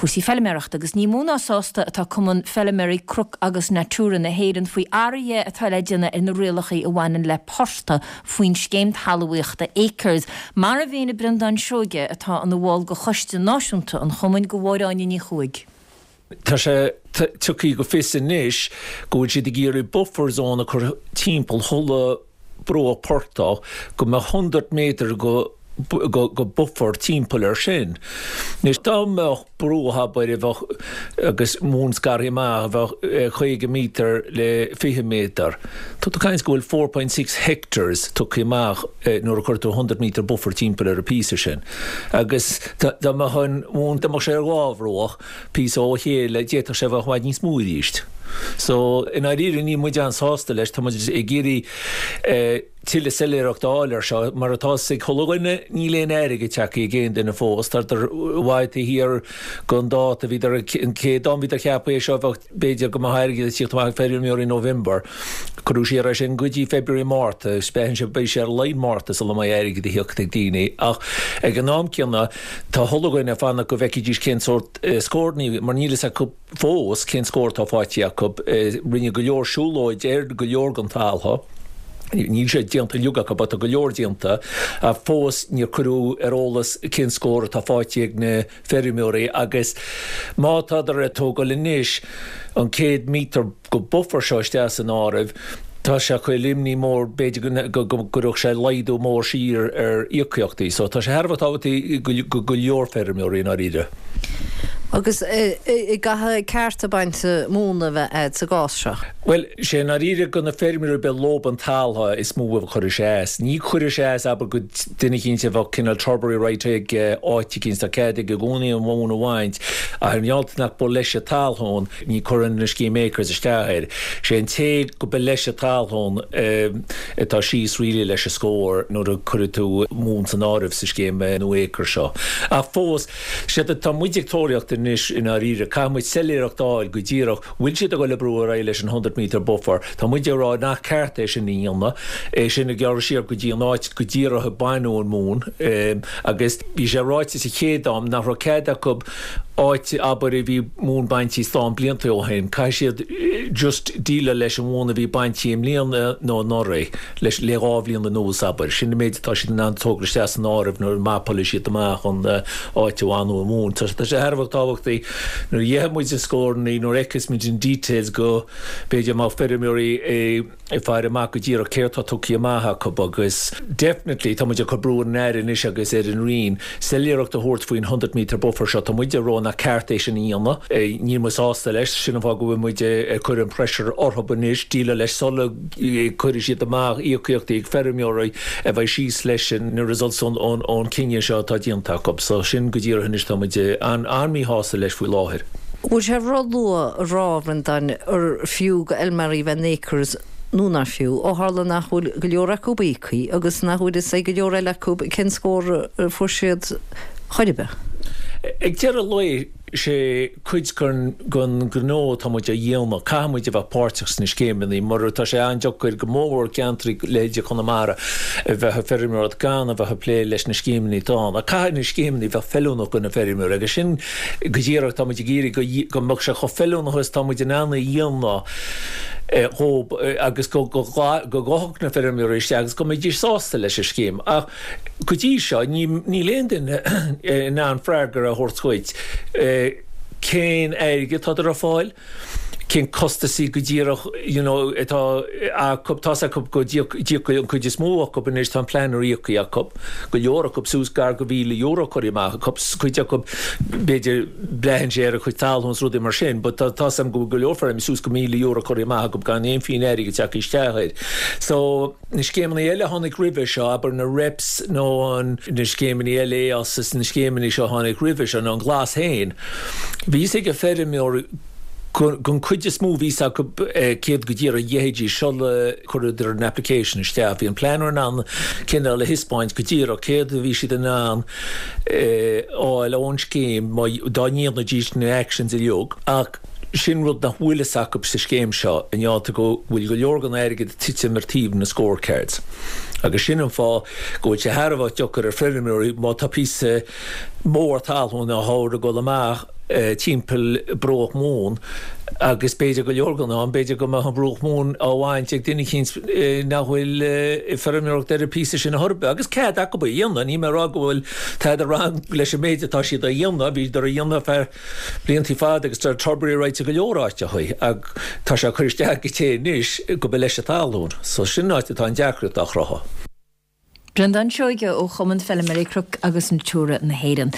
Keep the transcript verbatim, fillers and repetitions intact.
cúrsaí feilméarachta agus ní mó ná sásta atá Cumann Feilméaraí Cnoc agus Natura na hÉireann faoi athruithe atá le déanamh ar na rialacha a bhaineann le portaigh faoin scéim talmhaíochta Acres. Mar a mhínigh Breandán Seoige atá ina bhall de choiste náisiúnta an chumainn do Mháire Áine Ní Chuaig. Tá sé tugtha go fios anois go bhfuil siad ag iarraidh buffer zone a chur timpeall chuile bruach portaigh go mbeadh hundred méadar go go, go buffer timpeall ar sin. Anois dá mbeadh bruach abair a bheadh agus móin scartha amach a bheadh caoga méadar le fiche méadar. Tá tú caint go bhfuil four point six hectares tugtha amach nuair a chuir tú hundred metre buffer timpeall ar an píosa sin. Agus dá mbeadh an mhóin dá mbeadh sé ar dhá bhruach píosa ó chéile d'fhéadfadh sé bheith i bhfad níos mó arís. So i ndáiríre níl muid an-sásta leis, tá muid ag iarraidh tuilleadh soiléireacht a fháil air seo, mar atá ag chuile dhuine, níl aon airgead tagtha ag aon duine fós, tá i bhfad taobh thiar den dáta, bhíodar, an chéad am bhíodar ceaptha é seo bheadh b'fhéidir go mbeadh airgead ag tíocht amach ag feirmeoirí i November, cuireadh siar é sin go dtí February, Márta, spéann sé beidh sé ar a laghad Márta sula mbeidh airgead ag tíocht ag daoine, ach ag an am céanna tá chuile dhuine ag fanacht go bhfeicfidís cén sórt scóranna, mar níl fhios acu fós cén scór atá faighte acu, rinneadh go leor siúlóid ar go leor den talamh. Níl sé déanta uilig acu, tá go leor déanta, ach fós níor cuireadh ar eolas cén scór atá faighte ag na feirmeoirí agus má tádar ag tógáil anois an céad míotar go buffer seo isteach san áireamh, tá sé ag cur imní mór b'fhéidir go gcuirfeadh sé laghdú mór siar ar íocaíochtaí. So tá sé thar a bheith tábhachtach go go leor feirmeoirí i ndáiríre. Agus an gcaithfidh cearta bainte móna a bheith agat sa gcás seo? Bhuel, sé i ndáiríre go na feirmeoirí a bheith lób an talamh is mó a chuirfidh sé as. Ní chuirfidh sé as abair go duine eicínt a bheadh cineál turbary right ag áit eicínt, tá cead aige i gcónaí an mhóin a bhaint, ach ar ndóigh nach ba leis an talamh ní chuireann an scéim Acres isteach air. Sé an té go ba leis an talamh atá síos really leis an scór nuair a chuirfidh tú móin san áireamh sa scéim nua Acres seo. Ach fós, Séard atá muid ag tóraíocht anois i ndáiríre, caithfidh muid soiléireacht a fháil go díreach, bhfuil siad ag dul ag brú ar aghaidh leis an hundred metre buffer? Tá muid ag rá nach ceart é sin a dhéanamh, é sin a ghearradh siar go dtí an áit go díreach a baineadh an mhóin agus bhí sé ráite sa chéad am nach raibh cead acu áit abair a bhí móin bainte slán blianta ó shin, caithfidh siad just déileáil leis an mhóin a bhí bainte i mbliana nó anuraidh. leis le dhá bhliain anuas, abair. Sin an méid atá siad in ann tógáil isteach san áireamh nuair a mapálfaidh siad amach an áit a bhaineadh an mhóin. Tá sé thar a bheith tábhachtach nuair a gheobhaidh muid na scóranna, nuair a fheicfeas muid an details go b'fhéidir mbeadh feirmeoirí ag faire amach go díreach céard tá tugtha amach acu agus definitely tá muid ag cur brú ar an Aire anois agus ar an Roinn soiléireacht a thabhairt faoin hundred metre buffer seo. Tá muid ag rá nach ceart é sin a dhéanamh. Níl muid sásta leis. Sin an fáth go bhfuil muid ag cur an pressure orthu anois déileáil leis sula cuirfidh siad amach íocaíochtaí ag feirmeoirí a bheidh síos leis na results ón cinneadh seo atá déanta acu. So sin go díreach anois tá muid an-míshásta leis faoi láthair. Bhfuil sé ró-luath a rá, a Bhreandáin, ar fiú go fheilméaraí bheith in Acres nó nach fiú, ó tharla nach bhfuil go leor acu íoctha agus nach bhfuil fhios ag go leor eile acu cén scór a fuair siad chor ar bith? Ag deireadh lae, sé cuid den ghnó atá muid a dhéanamh, caithfidh muid a bheith páirteach sna scéimeanna mar tá sé an-deacair go mórmhór ceantraí leithéide Chonamara a bheith ag feirmeoireacht gan a bheith ag plé leis na scéimeanna atá ann. Ach caithfidh na scéimeanna bheith feiliúnach do na feirmeoirí agus sin go díreach tá muid ag iarraidh go mbeadh sé chomh feiliúnach is tá muid in ann a dhéanamh dhóibh agus go gabhfadh na feirmeoirí isteach agus go mbeidís sásta leis an scéim. Ach go dtí seo níl aon duine in ann freagra a thabhairt dhuit cén airgead atá ar fáil, cén costasaí go díreach you know atá acu, tá's acu go dtíocfaidh an cuid is mó acu anois, tá an planner íoctha acu, go leor acu suas gar go mhíle euro curtha amach acu, cuid acu b'fhéidir braitheann sé ar a chuid talún is rudaí mar sin but tá's agam go bhfuil go leor feirmeoirí suas go míle euro curtha amach acu gan aon phingin airgid tagtha isteach air. So. Na scéimeanna eile a tháinig roimhe seo, abair na REPs nó na scéimeanna eile EOS is na scéimeanna seo a tháinig roimhe seo, nó an Glas féin, bhí fhios ag an feirmeoir gon chuid is mó bhí fhios acu céard go díreach a gheobhaidís sula chuireadar an application isteach. Bhí an planner in ann cineál a thaispeáint go díreach céard a bhí siad in ann fháil ón scéim dá ndéanfaidís na actions uilig. Ach. Sin rud nach bhfuil fhios acu sa scéim seo, i ngeall go bhfuil go leor den airgead ag titim ar taobh na scorecards. Agus sin an fáth go bhfuil sé thar a bheith deacair ar feirmeoirí má tá píosa mór talún á thabhairt ag dul amach timpeall bruach móin agus b'fhéidir go leor den am b'fhéidir go mbeadh an bruach móin á bhaint ag duine eicínt nach bhfuil ag feirmeoireacht ar an píosa sin ar chor ar bith agus cead acu é a dhéanamh níl mé ag rá go bhfuil tada wrong leis an méid atá siad a dhéanamh bhíodar a dhéanamh feadh bliantaí fada agus tá turbary rights ag go leor áiteachaí ach tá sé ag cur isteach go té anois go be leis an talún so sin áit atá an deacracht á chruthú. Breandán Seoige ó Chumann Feilméaraí Cnoc agus Natura na hÉireann.